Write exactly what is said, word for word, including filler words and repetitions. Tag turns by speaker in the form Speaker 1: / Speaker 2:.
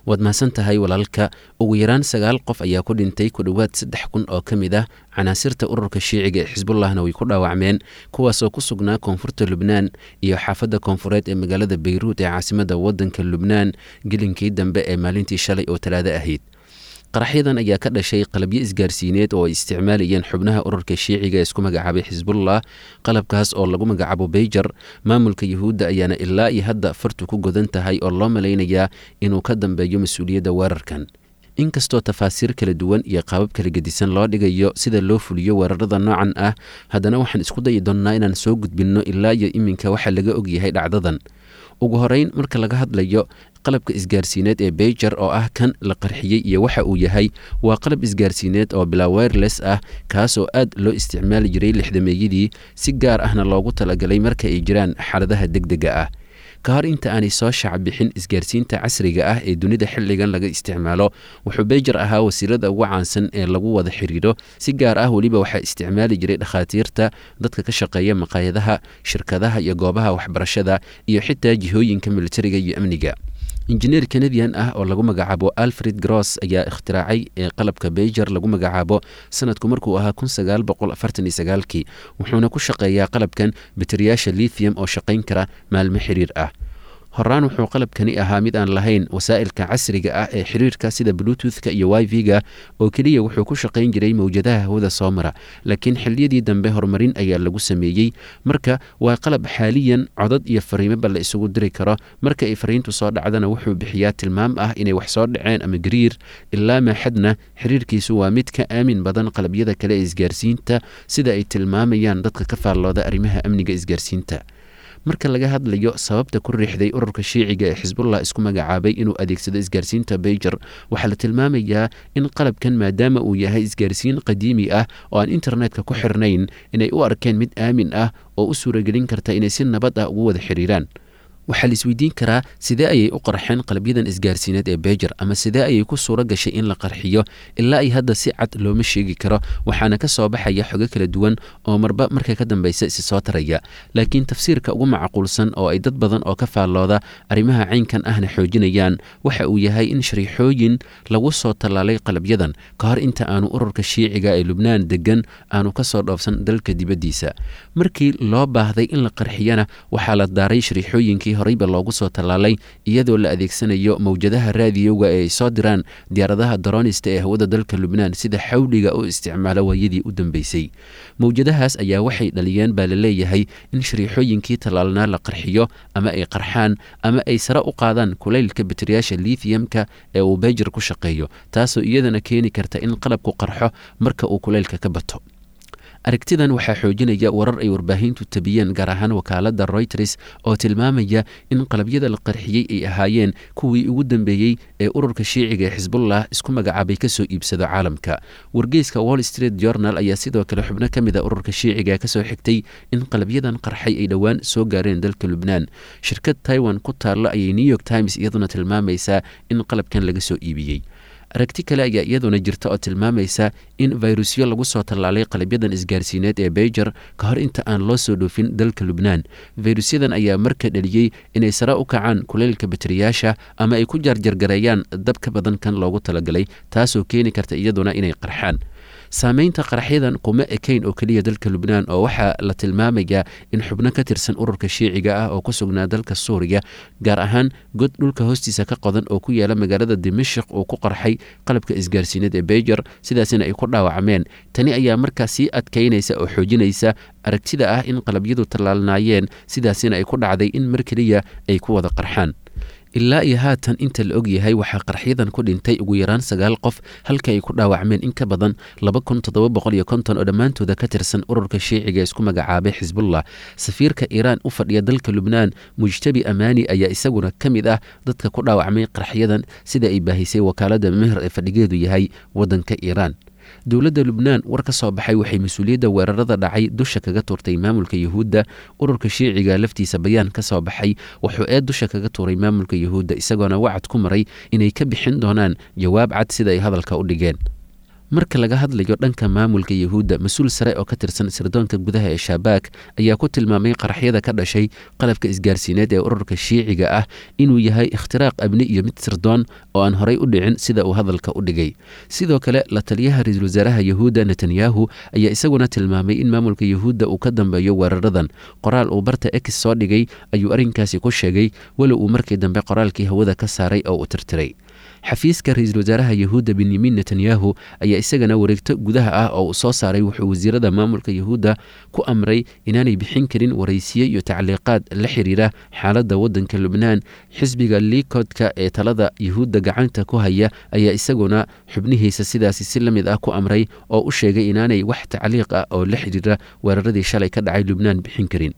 Speaker 1: Waad mahadsan tahay, walaalka. Ugu yaraan sagaal qof ayaa ku dhintay, ku dhowaad saddex kun oo ka mid ah canaasirta ururka Shiiciga ee Xisbullahna way ku dhaawacmeen, kuwaasoo ku sugnaa koonfurta Lubnaan iyo xaafadda koonfureed ee magaalada Bayruut ee caasimadda waddanka Lubnaan gelinkii dambe ee maalintii shalay oo Talaado ahayd. Qaraxyadan ayaa ka dhashay qalabyo isgaarsiineed oo ay isticmaalayeen xubnaha ururka Shiiciga ee isku magacaabay Xisbullah, qalabkaas oo lagu magacaabo beyjar. Maamulka Yuhuudda ayaana ilaa iyo hadda fartu ku godan tahay oo loo malaynayaa inuu ka dambeeyo mas-uuliyadda weerarkan. Inkastoo tafaasiir kala duwan iyo qaabab kala gedisan loo dhigayo sida loo fuliyo weerarada noocan ah, haddana waxaan isku dayi doonnaa inaan soo gudbinno ilaa iyo iminka waxa laga ogyahay dhacdadan. Ugu horeyn, marka laga hadlayo qalabka isgaarsiineed ee beyjar oo ah kan la qarxiyey iyo waxa uu yahay, waa qalab isgaarsiineed oo bilaa wireless ah, kaasoo aad loo isticmaali jiray lixdameeyadii, si gaar ahna loogu talagalay marka ay jiraan xaaladaha degdega ah. Ka hor inta aanay soo shacbixin isgaarsiinta casriga ah ee dunida xilligan laga isticmaalo, wuxuu beyjar ahaa wasiirada ugu caansan ee lagu wada xiriiro. Si gaar ah weliba waxaa isticmaali jiray dhakhaatiirta, dadka ka shaqeeya maqaayadaha, shirkadaha iyo goobaha waxbarashada, iyo xitaa jihooyinka militariga iyo amniga. Injineer Canadian ah oo lagu magacaabo Alfred Gross ayaa ikhtiraacay ee qalabka beyjar lagu magacaabo sanadku markuu ahaa kun sagaal boqol afartan iyo sagaalkii, wuxuuna ku shaqeeyaa qalabkan bateriyaasha lithium oo shaqayn kara maalmo xiriir ah. Horaan wuxuu qalabkani ahaa mid aan lahayn wasaa'ilka casriga ah ee xiriirka sida Bluetoothka iyo Wi-Fi-ga, oo keliya wuxuu ku shaqayn jiray mowjadaha hawada soo mara, laakiin xilliyadii dambe horumarin ayaa lagu sameeyey. Marka waa qalab xaaliyan codad iyo fariimoba la isugu diri karo. Marka ay fariintu soo dhacdana, wuxuu bixiyaa tilmaam ah inay wax soo dhaceen ama gariir. Ilaa maaxadna xiriirkiisu waa mid ka aamin badan qalabyada kale ee isgaarsiinta, sida ay tilmaamayaan dadka ka faallooda arrimaha amniga isgaarsiinta. Marka laga hadlayo sababta ku riixday ururka Shiiciga ee Xisbullah isku magacaabay inuu adeegsado isgaarsiinta beyjar, waxaa la tilmaamayaa in qalabkan, maadaama uu yahay isgaarsiin qadiimi ah oo aan internetka ku xirnayn, inay u arkeen mid aamin ah oo u suuragelin karta inay si nabad ah ugu wada xiriiraan. Waxaa la isweydiin karaa, sidee ayay u qarxeen qalabyadan isgaarsiineed ee beyjar, ama sidee ayay ku suuro gashay in la qarxiyo? Ilaa ay hadda si cad looma sheegi karo, waxaana ka soo baxaya xogo kala duwan oo marba marka ka dambeysa isi soo taraya. Laakiin tafsiirka ugu macquulsan oo ay dad badan oo ka faallooda arrimaha caynkan ahna xoojinayaan waxa uu yahay in shariixooyin lagu soo tallaalay qalabyadan ka hor inta aanu ururka Shiiciga ee Lubnaan degan aanu ka soo dhoofsan dalka dibaddiisa. Markii loo baahday in la qarxiyana, waxaa la daaray shariixooyinkii horeyba loogu soo tallaalay, iyadoo la adeegsanayo mowjadaha raadiyowga ee ay soo diraan diyaaradaha daroonista ee hawada dalka Lubnaan sida xawliga u isticmaala waayadii u dambeysay. Mowjadahaas ayaa waxay dhaliyeen, baa la leeyahay, in shariixooyinkii tallaalnaa la qarxiyo ama ay qarxaan ama ay sare u qaadaan kulaylka bateriyaasha lithiumka ee uu beyjar ku shaqeeyo, taasoo iyadana keeni karta in qalabku qarxo marka uu kulaylka ka bato. Aragtidan waxaa xoojinaya warar ay warbaahintu tabiyeen, gaar ahaan wakaaladda Reuters, oo tilmaamaya in qalabyada la qarxiyey ay ahaayeen kuwii ugu dambeeyey ee ururka Shiiciga ee Xisbullah isku magacaabay kasoo iibsado caalamka. Wargeyska Wall Street Journal ayaa sidoo kale xubno ka mid a ururka Shiiciga kasoo xigtay in qalabyadan qarxay ay dhowaan soo gaareen dalka Lubnaan. Shirkad Taiwan ku taalla ayay New York Times iyaduna tilmaamaysaa in qalabkan laga soo iibiyey. Aragti kale ayaa iyaduna jirta oo tilmaamaysa in fayrusyo lagu soo tallaalay qalabyadan isgaarsiineed ee beyjar ka hor inta aan loo soo dhoofin dalka Lubnaan. Fayrusyadan ayaa marka dhaliyey inay sare u kacaan kuleylka bateriyaasha ama ay ku jaarjargareeyaan dab ka badan kan loogu talagalay, taasoo keeni karta iyaduna inay qarxaan. Saameynta qaraxyadan kuma ekayn oo keliya dalka Lubnaan, oo waxaa la tilmaamayaa in xubno ka tirsan ururka Shiiciga ah oo ku sugnaa dalka Suuriya, gaar ahaan god dhulka hoostiisa ka qodan oo ku yaala magaalada Dimashik, uu ku qarxay qalabka isgaarsiineed ee beyjar, sidaasina ay ku dhaawacmeen. Tani ayaa markaa sii adkaynaysa oo xoojinaysa aragtida ah in qalabyadu tallaalnaayeen, sidaasina ay ku dhacday in mar keliya ay ku wada qarxaan. Ilaa iyo haatan inta la og yahay, waxaa qarxyadan ku dhintay ugu yaraan sagaal qof, halka ay ku dhaawacmeen in ka badan laba kun toddoba boqol iyo konton oo dhammaantooda ka tirsan ururka Shiiciga isku magacaabay Xisbullah. Safiirka Iiraan u fadhiya dalka Lubnaan, Mujtabi Amaani, ayaa isaguna ka mid ah dadka ku dhaawacmay qarxyadan, sida ay baahisay wakaaladda Mehr ee fadhigeedu yahay waddanka Iiraan. Dowladda Lubnaan war ka soo baxay waxay mas-uuliyadda weerarada dhacay dusha kaga tuurtay maamulka Yuhuudda. Ururka Shiiciga laftiisa bayaan ka soo baxay wuxuu ee dusha kaga tuuray maamulka Yuhuudda, isagoona wacad ku maray inay ka bixin doonaan jawaab cad, sida ay hadalka u dhigeen. Marka laga hadlayo dhanka maamulka Yahuudda, mas-uul sare oo ka tirsan sirdoonka gudaha ee Shabaak ayaa ku tilmaamay qaraxyada ka dhashay qalabka isgaarsiineed ee ururka Shiiciga ah inuu yahay ikhtiraaq amni iyo mid sirdoon oo aan horay u dhicin, sida uu hadalka u dhigay. Sidoo kale, la taliyaha ra-iisul wasaaraha Yahuudda Netanyahu ayaa isaguna tilmaamay in maamulka Yahuudda uu ka dambeeyo weeraradan. Qoraal uu barta X soo dhigay ayuu arrinkaasi ku sheegay, walow uu markii dambe qoraalkii hawada ka saaray oo uu tirtiray. Xafiiska ra-iisul wasaaraha Yahuudda Benyamin Netanyahu ayaa isagana wareegto gudaha ah oo uu soo saaray wuxuu wasiirada maamulka Yahuudda ku amray inaanay bixin karin waraysiye iyo tacliiqaad la xiriira xaaladda waddanka Lubnaan. Xisbiga Likodka ee talada Yahuudda gacanta ku haya ayaa isaguna xubnihiisa sidaasi si la mid ah ku amray oo u sheegay inaanay wax tacliiq ah oo la xiriira weeraradii shalay ka dhacay Lubnaan bixin karin.